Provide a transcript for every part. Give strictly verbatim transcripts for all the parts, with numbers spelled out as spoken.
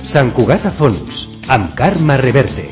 Sant Cugat a fons, amb Carme Reverte.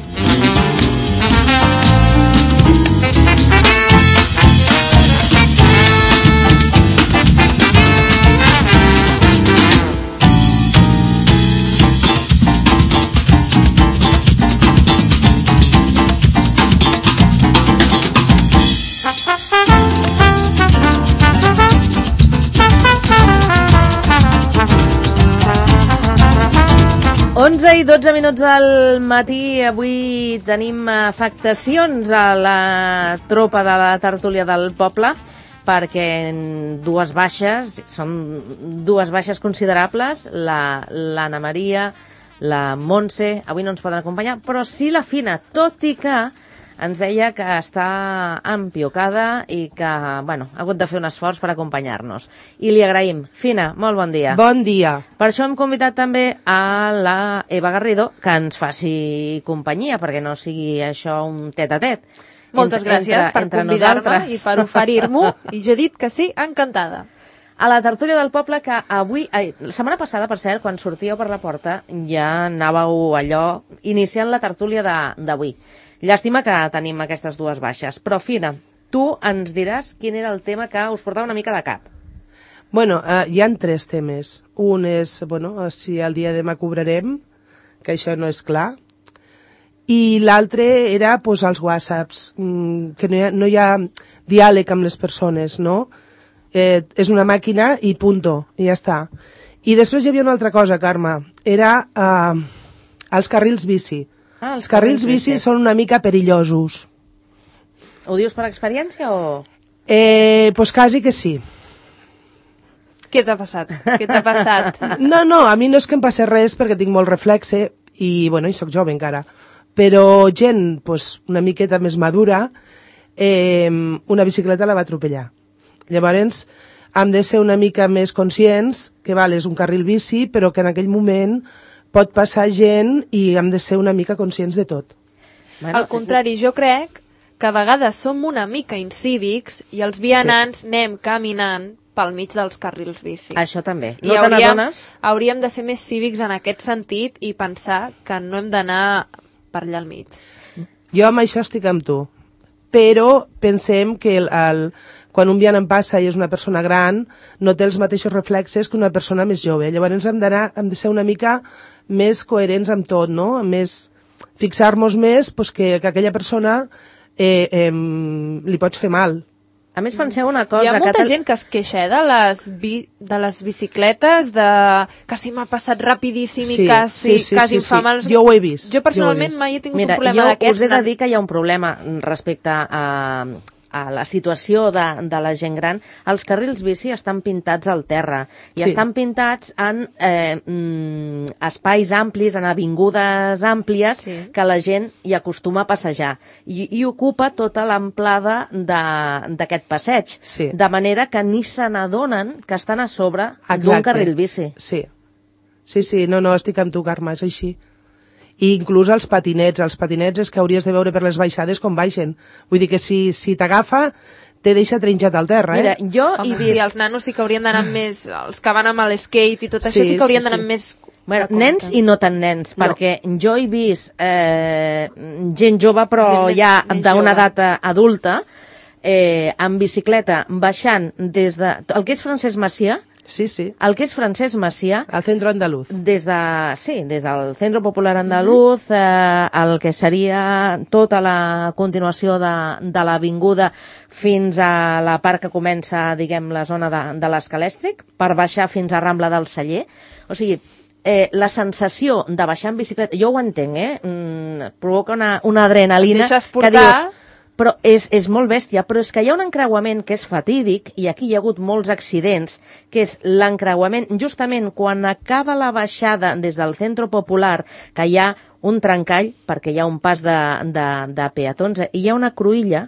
onze i dotze minuts del matí. Avui tenim afectacions a la tropa de la tertúlia del poble perquè dues baixes, són dues baixes considerables, l'Anna Maria, la Montse, avui no ens poden acompanyar, però sí la Fina, tot i que ens deia que està empiocada i que, bueno, ha hagut de fer un esforç per acompanyar-nos. I li agraïm. Fina, molt bon dia. Bon dia. Per això hem convidat també a la Eva Garrido que ens faci companyia, perquè no sigui això un tet-a-tet. Moltes entre, gràcies entre, per entre convidar-me i per oferir-m'ho. I jo he dit que sí, encantada. A la tertúlia del poble, que avui... Ai, la setmana passada, per cert, quan sortíeu per la porta, ja anàveu allò iniciant la tertúlia d'avui. Llàstima que tenim aquestes dues baixes. Però, Fina, tu ens diràs quin era el tema que us portava una mica de cap. Bueno, eh, hi han tres temes. Un és, bueno, si el dia de demà cobrarem, que això no és clar. I l'altre era, pues, els whatsapps, que no hi ha, no hi ha diàleg amb les persones, no? Eh, és una màquina i punto, i ja està. I després hi havia una altra cosa, Carme. Era eh, els carrils bici. Ah, els carrils bici són una mica perillosos. Ho dius per experiència o...? Eh, pues quasi que sí. Què t'ha passat? Què t'ha passat? No, no, a mi no és que em passi res perquè tinc molt reflexe i, bueno, i soc jove encara. Però gent, pues, una miqueta més madura, eh, una bicicleta la va atropellar. Llavors, hem de ser una mica més conscients que, val, és un carril bici, però que en aquell moment pot passar gent i hem de ser una mica conscients de tot. Bueno, al contrari, jo crec que a vegades som una mica incívics i els vianants sí. anem caminant pel mig dels carrils bici. Això també. I no hauríem, hauríem de ser més cívics en aquest sentit i pensar que no hem d'anar per allà al mig. Jo amb això estic amb tu, però pensem que el, el, quan un vianant passa i és una persona gran no té els mateixos reflexes que una persona més jove. Llavors hem d'anar, hem de ser una mica més coherents amb tot, no? Més, fixar-nos més pues, que, que aquella persona eh, eh, li pots fer mal. A més, penseu una cosa... Hi ha molta que gent que es queixa eh, de, les bi, de les bicicletes, de que si m'ha passat rapidíssim sí, i quasi, sí, sí, quasi sí, em fa sí. mal. Jo ho he vist. Jo personalment jo mai he tingut Mira, un problema d'aquests. Mira, jo us he de dir que hi ha un problema respecte a... a la situació de, de la gent gran. Els carrils bici estan pintats al terra i sí. estan pintats en eh, mm, espais amplis, en avingudes àmplies sí. que la gent hi acostuma a passejar i, i ocupa tota l'amplada d'aquest passeig, sí. de manera que ni se n'adonen que estan a sobre d'un carril bici. Sí. sí, sí, no, no, estic amb tu, Carme, és així. I inclús els patinets, els patinets és que hauries de veure per les baixades com baixen. Vull dir que si, si t'agafa, te deixa trinxat al terra, eh? Mira, jo Home, he vist... Sí, els nanos sí que haurien d'anar més... Els que van amb l'skate i tot sí, això sí que haurien sí, d'anar sí. més... Bueno, nens i no tan nens, no. perquè jo he vist eh, gent jove, però gent més, ja d'una edat adulta, eh, amb bicicleta, baixant des de... El que és Francesc Macià, Sí, sí. El que és Francesc Macià... Al centro andaluz. Des de, sí, des del Centro Popular Andaluz, mm-hmm. eh, el que seria tota la continuació de, de l'avinguda fins a la part que comença, diguem, la zona de, de l'Escalèstric, per baixar fins a Rambla del Celler. O sigui, eh, la sensació de baixar en bicicleta, jo ho entenc, eh? Mm, provoca una, una adrenalina que dius... Però és, és molt bèstia, però és que hi ha un encreuament que és fatídic, i aquí hi ha hagut molts accidents, que és l'encreuament justament quan acaba la baixada des del Centro Popular, que hi ha un trencall, perquè hi ha un pas de, de, de peatons, i hi ha una cruïlla,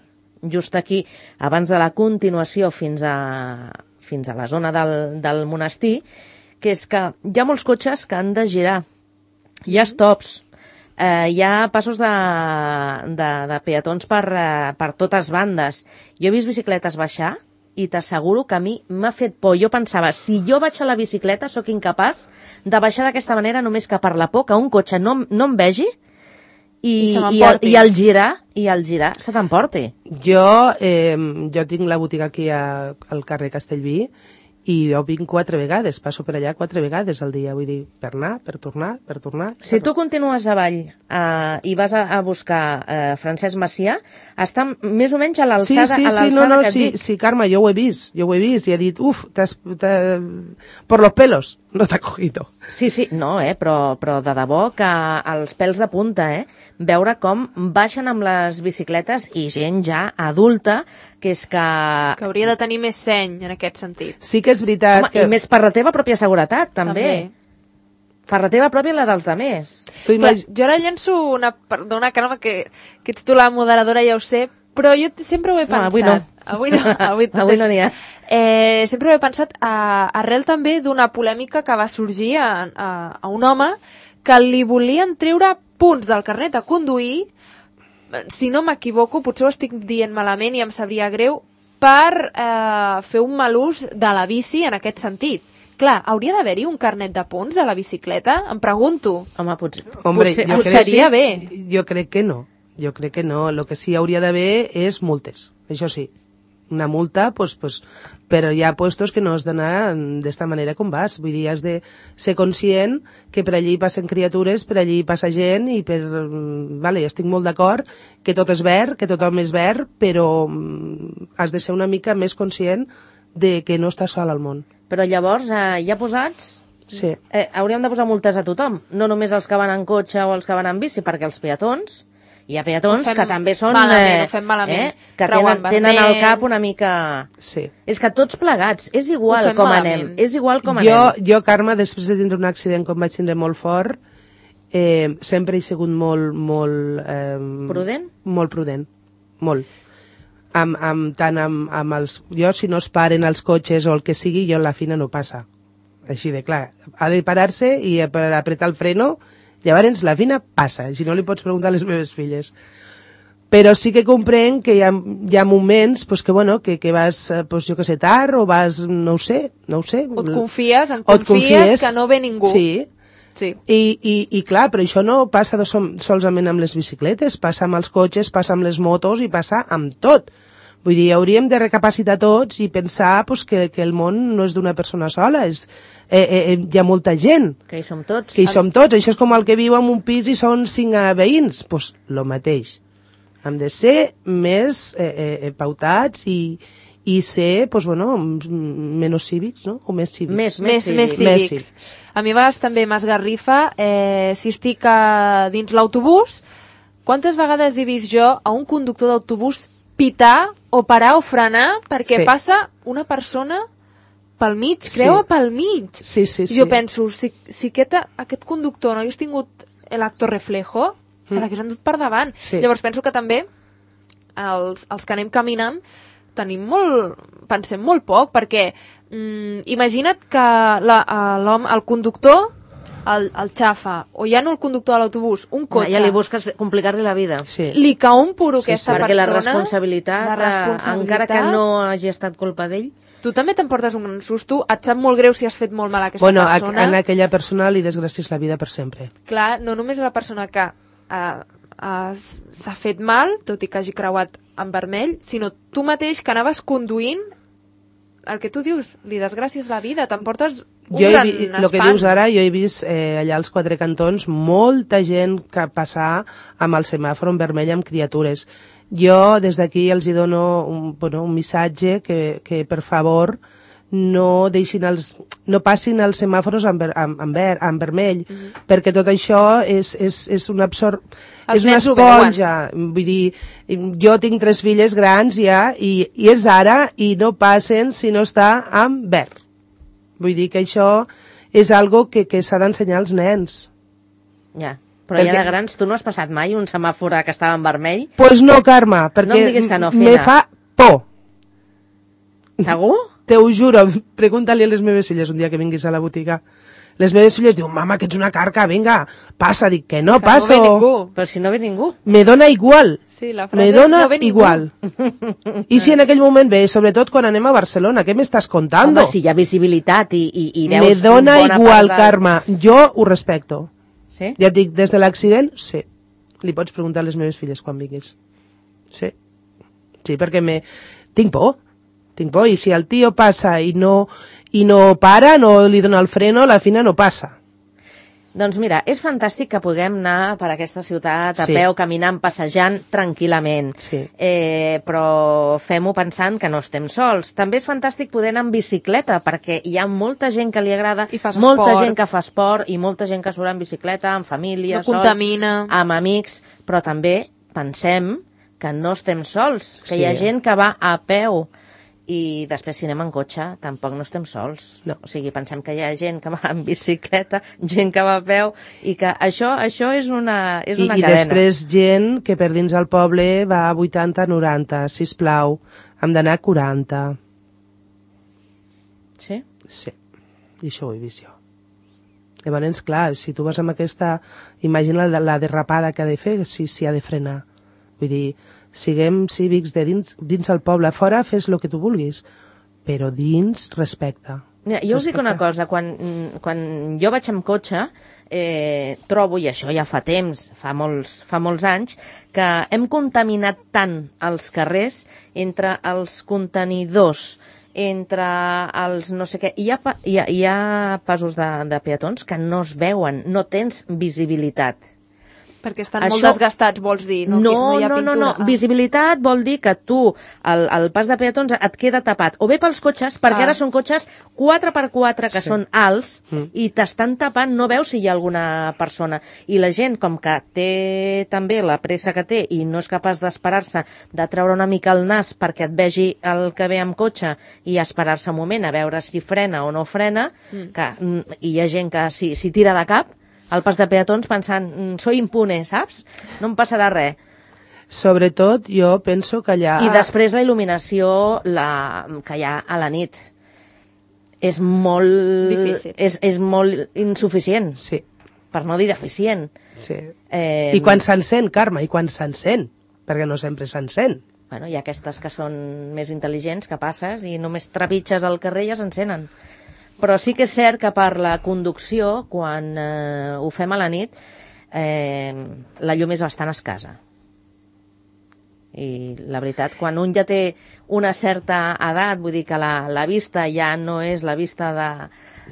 just aquí, abans de la continuació fins a, fins a la zona del, del monestir, que és que hi ha molts cotxes que han de girar, hi ha stops, Eh, hi ha passos de, de, de peatons per, eh, per totes bandes. Jo he vist bicicletes baixar i t'asseguro que a mi m'ha fet por. Jo pensava, si jo vaig a la bicicleta sóc incapaç de baixar d'aquesta manera només que per la por que un cotxe no, no em vegi i, I se i, el, i el girar i el girar se t'emporti. Jo, eh, jo tinc la botiga aquí a, al carrer Castellví i jo vinc quatre vegades, passo per allà quatre vegades al dia, vull dir, per anar, per tornar, per tornar... Si tu continues avall eh, i vas a, a buscar eh, Francesc Macià, està més o menys a l'alçada sí, sí, a l'alçada sí, no, no, que et sí, dic. sí, Carme, jo ho he vist, jo ho he vist i he dit, uf, t'has, t'has, por los pelos, no t'ha cogido. Sí, sí, no, eh, però, però de debò que els pèls de punta, eh, veure com baixen amb les bicicletes i gent ja adulta, que és que... Que hauria de tenir més seny en aquest sentit. Sí que és veritat Home, que... i més per la teva pròpia seguretat, també. També. Per la teva pròpia i la dels demés. Tu Clar, imag... jo ara llenço una... Perdona, Carme, que, que ets tu la moderadora, ja ho sé, però jo t- sempre ho he No, pensat. avui no. Avui no. Avui, tot Avui és- no n'hi ha. Eh, sempre ho he pensat a, arrel també d'una polèmica que va sorgir a, a, a un home que li volien treure punts del carnet a conduir, si no m'equivoco, potser ho estic dient malament i em sabria greu, per eh, fer un mal ús de la bici en aquest sentit. Clar, hauria d'haver-hi un carnet de punts de la bicicleta? Em pregunto. Home, potser, Hombre, potser jo Potser crec, seria bé. Jo crec que no. Jo crec que no. El que sí hauria d'haver és multes. Això sí. Una multa, pues, pues, però hi ha puestos que no has d'anar d'esta manera com vas. Vull dir, has de ser conscient que per allí passen criatures, per allí passa gent i per... Vale, estic molt d'acord que tot és verd, que tothom és verd, però mm, has de ser una mica més conscient de que no estàs sol al món. Però llavors, eh, ja posats, Sí. eh, hauríem de posar multes a tothom, no només els que van en cotxe o els que van en bici, perquè els peatons, hi ha peatons Ho fem que també són... malament, ho fem malament. Eh, que Creuant tenen, tenen al vermell. cap una mica... Sí. És que tots plegats, és Ho igual fem com malament. anem, és igual com jo, anem. jo, Carme, després de tindre un accident com vaig tindre molt fort, eh, sempre he sigut molt, molt... Eh, Prudent? Molt prudent, molt. Amb, amb, tant amb, amb els... Jo, si no es paren els cotxes o el que sigui, jo la fina no passa. Així de clar. Ha de parar-se i per apretar el freno, llavors la fina passa. Si no li pots preguntar a les meves filles. Però sí que comprenc que hi ha, hi ha moments pues, que, bueno, que, que vas, eh, pues, jo que sé, tard o vas, no ho sé, no ho sé. O et confies, en O et confies que no ve ningú. Sí, Sí. i, i, i clar, però això no passa de som, solament amb les bicicletes, passa amb els cotxes, passa amb les motos i passa amb tot. Vull dir, hauríem de recapacitar tots i pensar pues, que, que el món no és d'una persona sola, és, eh, eh, hi ha molta gent, Que hi som tots. que hi som tots. Això és com el que viu en un pis i són cinc eh, veïns, doncs pues, lo mateix. Hem de ser més eh, eh, pautats i, i ser, pues, bueno, menys cívics, no? O més cívics. Més, Més, més cívics. Més cívics. A mi a vegades també m'esgarrifa eh, si estic a, dins l'autobús, quantes vegades he vist jo a un conductor d'autobús pitar o parar o frenar perquè Sí. passa una persona pel mig, creua Sí. pel mig. Sí, sí, sí. Jo penso, si, si aquest, aquest conductor no hagués tingut l'acto reflejo, se Mm. l'hagués endut per davant. Sí. Llavors penso que també els, els que anem caminant tenim molt, pensem molt poc, perquè mm, imagina't que la, eh, l'home, el conductor el, el xafa, o ja no el conductor de l'autobús, un cotxe, Ja li busques complicar-li la vida. Sí. li cau un puro Sí, aquesta Perquè la persona, responsabilitat, la eh, responsabilitat, encara que no hagi estat culpa d'ell, tu també t'emportes un gran susto, et sap molt greu si has fet molt mal a aquesta Bueno, a, persona. a aquella persona li desgràcies la vida per sempre. Clar, no només la persona que eh, eh, s'ha fet mal, tot i que hagi creuat en vermell, sinó tu mateix que anaves conduint, el que tu dius, li desgràcies la vida, t'emportes un Jo he gran vist, el que espant. dius ara, jo he vist eh, allà als quatre cantons molta gent que passar amb el semàfor en vermell amb criatures. Jo des d'aquí els hi dono un, bueno, un missatge que, que per favor no deixin els, no passin els semàfors en, ver, en, en, ver, en vermell, mm -hmm. perquè tot això és, és, és una absor... Els és una nens ho esponja. Vull dir, jo tinc tres filles grans ja i, i és ara i no passen si no està en verd. Vull dir que això és algo que, que s'ha d'ensenyar als nens. ja. Però Perquè- ja de grans, tu no has passat mai un semàfor que estava en vermell? Pues no, Carme, perquè No em diguis que no, me Fina. fa por. Segur? te ho juro, pregunta-li a les meves filles un dia que vinguis a la botiga. Les meves filles diuen, mama, que ets una carca, vinga, passa. Dic que no Que passo. no ve ningú. Però si no ve ningú. Me dona igual. Sí, la frase Me és dona no ve ningú. igual. I si en aquell moment ve, sobretot quan anem a Barcelona, què m'estàs contando? Home, si hi ha visibilitat i, i, i veus... Me dona bona igual, part de... Carme. Jo ho respecto. Sí? Ja et dic, des de l'accident, sí. Li pots preguntar a les meves filles quan vinguis. Sí. Sí, perquè me... tinc por. Tinc por. I si el tio passa i no, i no para, no li dona el freno, la fina no passa. Doncs mira, és fantàstic que puguem anar per aquesta ciutat a Sí. peu, caminant, passejant tranquil·lament. Sí. Eh, però fem-ho pensant que no estem sols. També és fantàstic poder anar en bicicleta, perquè hi ha molta gent que li agrada, I fas molta esport. gent que fa esport i molta gent que surt en bicicleta, en família, No contamina. sol, amb amics, però també pensem que no estem sols, que Sí. hi ha gent que va a peu. I després, si anem en cotxe, tampoc no estem sols. No. O sigui, pensem que hi ha gent que va en bicicleta, gent que va a peu, i que això això és una, és I, una I cadena. després gent que per dins el poble va a vuitanta noranta, sisplau, hem d'anar a quaranta. Sí? Sí, i això ho he vist jo. Llavors, clar, si tu vas amb aquesta... Imagina la, la derrapada que ha de fer, si s'hi ha de frenar. Vull dir, siguem cívics de dins, dins el poble. Fora fes el que tu vulguis, però dins respecte. Mira, jo us dic Respecte. una cosa, quan, quan jo vaig amb cotxe, eh, trobo, i això ja fa temps, fa molts, fa molts anys, que hem contaminat tant els carrers entre els contenidors, entre els no sé què... Hi ha, pa- hi ha, hi ha passos de, de peatons que no es veuen, no tens visibilitat. Perquè estan Això- molt desgastats, vols dir? No, No, no, hi ha no, no, pintura. no. Visibilitat vol dir que tu, el, el pas de peatons et queda tapat. O bé pels cotxes, perquè Ah. ara són cotxes quatre per quatre que Sí. són alts Mm. i t'estan tapant, no veus si hi ha alguna persona. I la gent, com que té també la pressa que té i no és capaç d'esperar-se, de treure una mica el nas perquè et vegi el que ve amb cotxe i esperar-se un moment a veure si frena o no frena, Mm. que mm, hi ha gent que si, si tira de cap al pas de peatons pensant, mm, soy impune, saps? No em passarà res. Sobretot, jo penso que allà... I després la il·luminació la, que hi ha a la nit és molt... Difícil. És, és molt insuficient, Sí, per no dir deficient. sí. Eh, I quan s'encén, Carme, i quan s'encén, perquè no sempre s'encén. Bueno, hi ha aquestes que són més intel·ligents, que passes i només trepitges al carrer i ja s'encenen. Però sí que és cert que per la conducció, quan eh, ho fem a la nit, eh, la llum és bastant escassa. I la veritat, quan un ja té una certa edat, vull dir que la, la vista ja no és la vista de,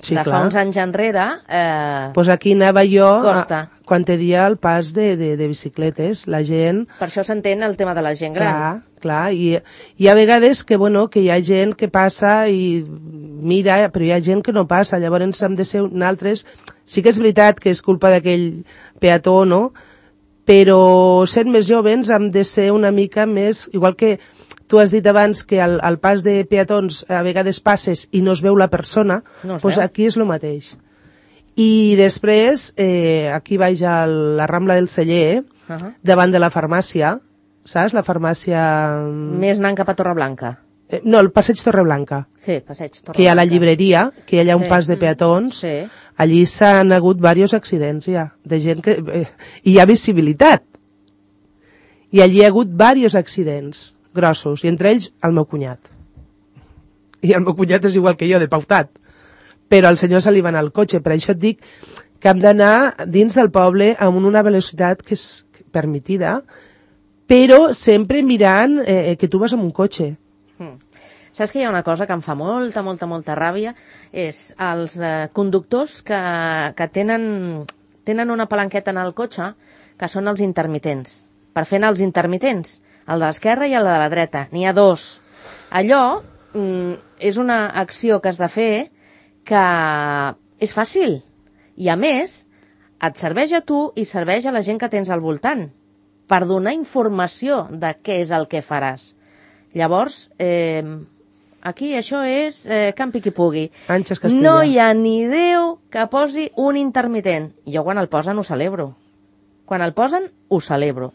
Sí, de fa clar. uns anys enrere, eh, Pues aquí anava jo, Costa. a, quan te dia el pas de, de, de bicicletes, la gent... per això s'entén el tema de la gent gran. Clar, clar, i hi ha vegades que, bueno, que hi ha gent que passa i mira, però hi ha gent que no passa, llavors hem de ser nosaltres... Sí que és veritat que és culpa d'aquell peató, no?, però sent més jovens hem de ser una mica més... Igual que tu has dit abans que al, al pas de peatons a vegades passes i no es veu la persona, No es doncs veu. aquí és el mateix. I després, eh, aquí vaig a la Rambla del Celler, Uh -huh. davant de la farmàcia, saps? La farmàcia... Més anant cap a Torreblanca. Eh, no, el passeig Torreblanca, Sí, passeig Torreblanca. que hi ha la llibreria, que hi ha un Sí. pas de peatons. Sí. Allí s'han hagut diversos accidents, ja, de gent que... Eh, i hi ha visibilitat. I allí hi ha hagut diversos accidents grossos, i entre ells el meu cunyat. I el meu cunyat és igual que jo, de pautat. Però al senyor se li va anar el cotxe, per això et dic que hem d'anar dins del poble amb una velocitat que és permitida, però sempre mirant eh, que tu vas amb un cotxe. Mm. Saps que hi ha una cosa que em fa molta, molta, molta ràbia? És els eh, conductors que, que tenen, tenen una palanqueta en el cotxe que són els intermitents. Per fer anar els intermitents, el de l'esquerra i el de la dreta. N'hi ha dos. Allò mm, és una acció que has de fer que és fàcil. I a més, et serveix a tu i serveix a la gent que tens al voltant per donar informació de què és el que faràs. Llavors, eh, aquí això és eh, campi qui pugui. Àngels Castella. No hi ha ni Déu que posi un intermitent. Jo quan el posen ho celebro. Quan el posen ho celebro.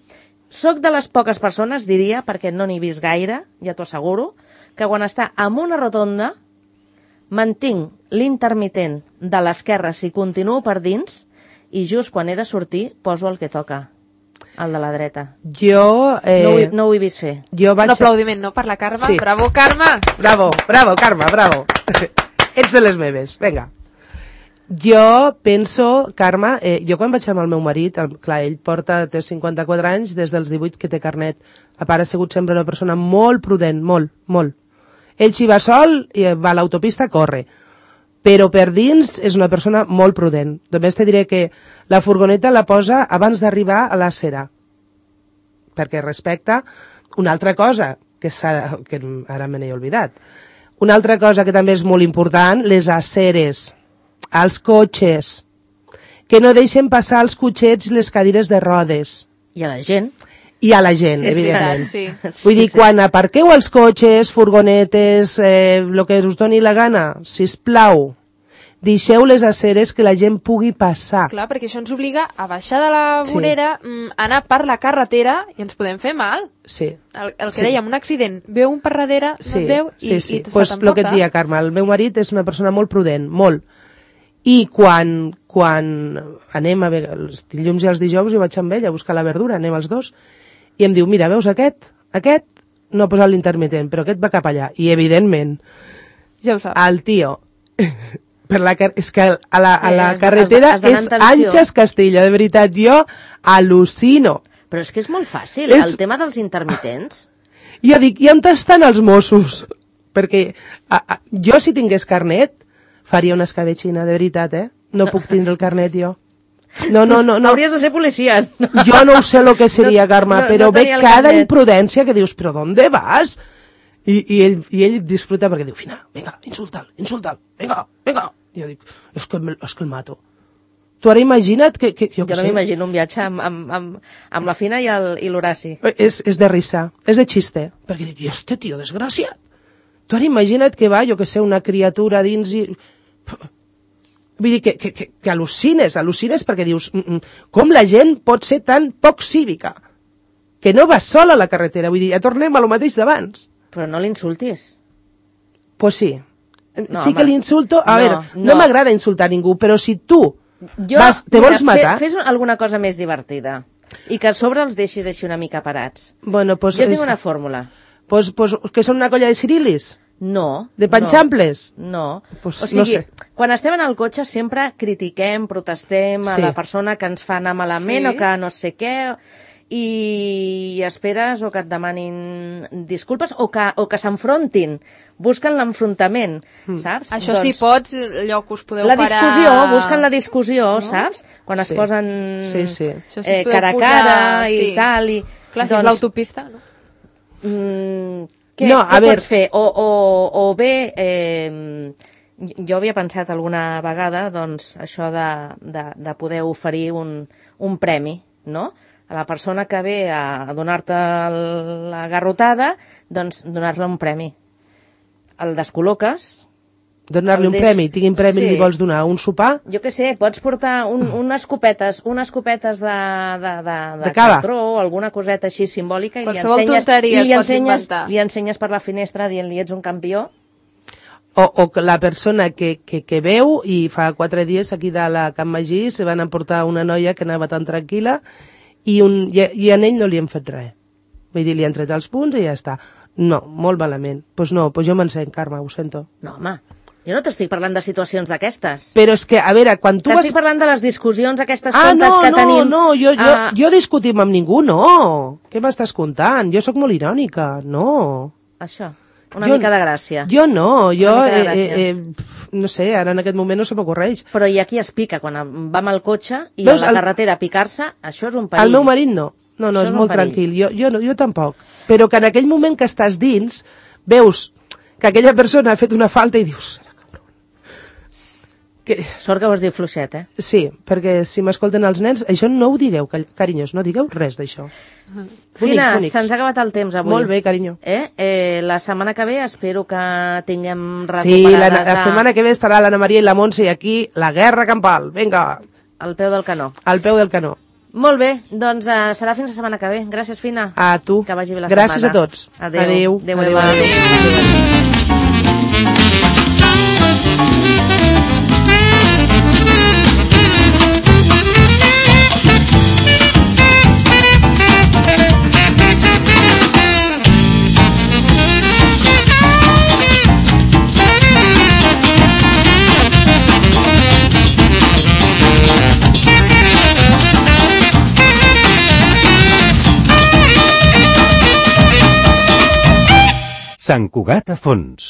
Soc de les poques persones, diria, perquè no n'he vist gaire, ja t'ho asseguro, que quan està en una rotonda mantinc l'intermitent de l'esquerra si continuo per dins i just quan he de sortir poso el que toca, el de la dreta. Jo... Eh, no, ho, he- no ho he vist fer. jo vaig... Un aplaudiment, no? Per la Carme. Sí. Bravo, Carme! Bravo, bravo, Carme, bravo. Ets de les meves, vinga. Jo penso, Carme, eh, jo quan vaig amb el meu marit, el, clar, ell porta, té cinquanta-quatre anys, des dels divuit que té carnet. A part, ha sigut sempre una persona molt prudent, molt, molt. Ell si va sol, i va a l'autopista, corre. Però per dins és una persona molt prudent. Només te diré que la furgoneta la posa abans d'arribar a la cera. Perquè respecta una altra cosa, que, s'ha, que ara me n'he oblidat. Una altra cosa que també és molt important, les aceres, als cotxes, que no deixen passar els cotxets i les cadires de rodes. I a la gent. I a la gent, Sí, és evidentment. veritat, sí. Vull dir, quan aparqueu els cotxes, furgonetes, eh, el que us doni la gana, sisplau, deixeu les aceres que la gent pugui passar. Clar, perquè això ens obliga a baixar de la Sí. vorera, mm, anar per la carretera i ens podem fer mal. Sí. El, el que Sí. dèiem, un accident, veu un per darrere, no Sí, et veu i, sí, sí. i se Pues t'emporta. lo que et dia, Carme, el meu marit és una persona molt prudent, molt. I quan, quan anem a veure els dilluns i els dijous, jo vaig amb ell a buscar la verdura, anem els dos, i em diu, mira, veus aquest? Aquest no ha posat l'intermitent, però aquest va cap allà. I, evidentment, Ja ho saps. el tio, per la car és que a la, a Sí, la has de- carretera has d'anar és en tensió. Anxes Castilla, de veritat, jo al·lucino. Però és que és molt fàcil, És- el tema dels intermitents. I jo dic, i on estan els Mossos? Perquè a, a, jo, si tingués carnet, faria una escabetxina, de veritat, eh? No puc tindre el carnet, jo. No, no, no, no. Hauries de ser policia. Jo no ho sé el que seria, Carme, no, però no ve tenia el cada carnet. imprudència que dius, però ¿dónde vas? I, i, ell, i ell disfruta perquè diu, Fina, vinga, insulta'l, insulta'l, vinga, vinga. I jo dic, és que, el- és que el mato. Tu ara imagina't que... que jo Jo què no sé, m'imagino un viatge amb, amb, amb, amb la Fina i el- i l'Horaci. És, és de risa, és de xiste. Perquè dic, i este tio desgraciat. Tu ara imagina't que va, jo que sé, una criatura dins i... Vull dir que, que, que, que al·lucines, al·lucines perquè dius, mm, mm, com la gent pot ser tan poc cívica? Que no va sola a la carretera, vull dir, ja tornem a lo mateix d'abans. Però no l'insultis. Pues sí. No, sí home. que l'insulto... A No, veure, no, no. m'agrada insultar ningú, però si tu Jo, vas, te mira, vols matar... Fe, fes alguna cosa més divertida. I que a sobre els deixis així una mica parats. Bueno, pues, Jo tinc és- una fórmula. pues, pues, que són una colla de cirilis? No. De panxamples? No. Pues o sigui, no sé. quan estem en el cotxe sempre critiquem, protestem a Sí. la persona que ens fa anar malament Sí. o que no sé què, i esperes o que et demanin disculpes o que, o que s'enfrontin, busquen l'enfrontament, Mm. saps? Això si pots, allò que us podeu La parar... discussió, busquen la discussió, No? saps? Quan es Sí. posen Sí, sí. Això sí eh, podeu cara a posar- cara i sí. tal. I, Clar, si és l'autopista, no? Mm, què, No, què a veure- pots fer? O, o, o bé, eh, jo havia pensat alguna vegada doncs, això de, de, de poder oferir un, un premi, no? A la persona que ve a, a donar-te el- la garrotada, doncs donar-li un premi. El descol·loques, Donar-li El un deix- premi, tinguin premi, sí. li vols donar un sopar? jo què sé, pots portar un, unes copetes, unes copetes de, de, de, de, De cava. cartró o alguna coseta així simbòlica i li Qualsevol ensenyes, tonteria i li et pots ensenyes, inventar. li ensenyes per la finestra dient-li ets un campió. O, o que la persona que, que, que veu i fa quatre dies aquí de la Can Magí se van emportar una noia que anava tan tranquil·la i, un, i, i a ell no li han fet res. Vull dir, li han tret els punts i ja està. No, molt malament. Doncs pues no, pues jo m'encén, Carme, ho sento. No, home, jo no t'estic parlant de situacions d'aquestes. Però és que, a veure, quan tu T'estic vas... parlant de les discussions aquestes Ah, tontes no, que no, tenim. no, jo, jo, Ah, jo discutim amb ningú, no. Què m'estàs contant? Jo sóc molt irònica, no. Això, una Jo- mica de gràcia. Jo no, jo, mica de eh, gràcia. eh, eh, pf, no sé, ara en aquest moment no se m'ocorreix. Però hi ha qui es pica quan va amb el cotxe i Veus, a la el- carretera a picar-se, això és un perill. El meu marit no. No, no, Això és, és un molt perill. tranquil. Jo, jo, no, jo tampoc. Però que en aquell moment que estàs dins, veus que aquella persona ha fet una falta i dius... "Serà cabron". Que... Sort que ho has dit fluixet, eh? Sí, perquè si m'escolten els nens, això no ho digueu, car- carinyos, no digueu res d'això. Bonics, Fina, bonics. se'ns ha acabat el temps avui. Molt bé, carinyo. Eh? Eh, la setmana que ve espero que tinguem Sí, la, recuperades la setmana que ve estarà l'Anna Maria i la Montse i aquí la guerra campal. Vinga, al peu del canó. al peu del canó. Molt bé, doncs uh, serà fins la setmana que ve. Gràcies, Fina. A tu. Que vagi bé la Gràcies setmana. a tots. Adéu. Adéu. Adéu, Adéu. Eva. Adéu. Adéu. Sant Cugat a fons.